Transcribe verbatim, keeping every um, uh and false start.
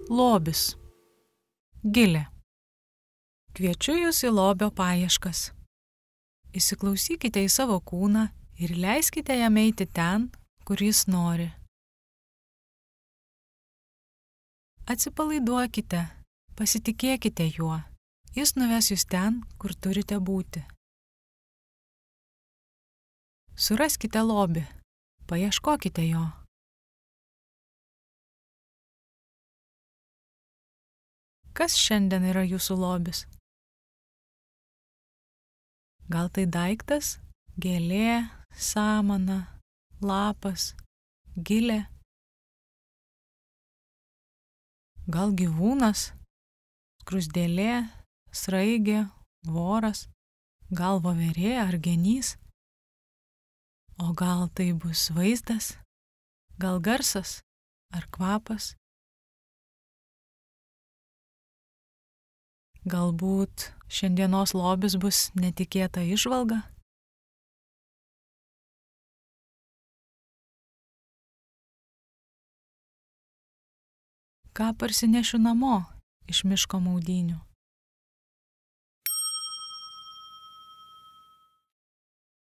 Lobis. Gilė. Kviečiu jūs į lobio paieškas. Įsiklausykite į savo kūną ir leiskite jam eiti ten, kur jis nori. Atsipalaiduokite, pasitikėkite juo. Jis nuves jūs ten, kur turite būti. Suraskite lobį, paieškokite jo. Kas šiandien yra jūsų lobis? Gal tai daiktas, gėlė, samana, lapas, gilė? Gal gyvūnas, skruzdėlė, sraigė, voras, gal voverė ar genys? O gal tai bus vaizdas, gal garsas ar kvapas? Galbūt šiandienos lobis bus netikėta įžvalga? Ką parsinešiu namo iš miško maudynių?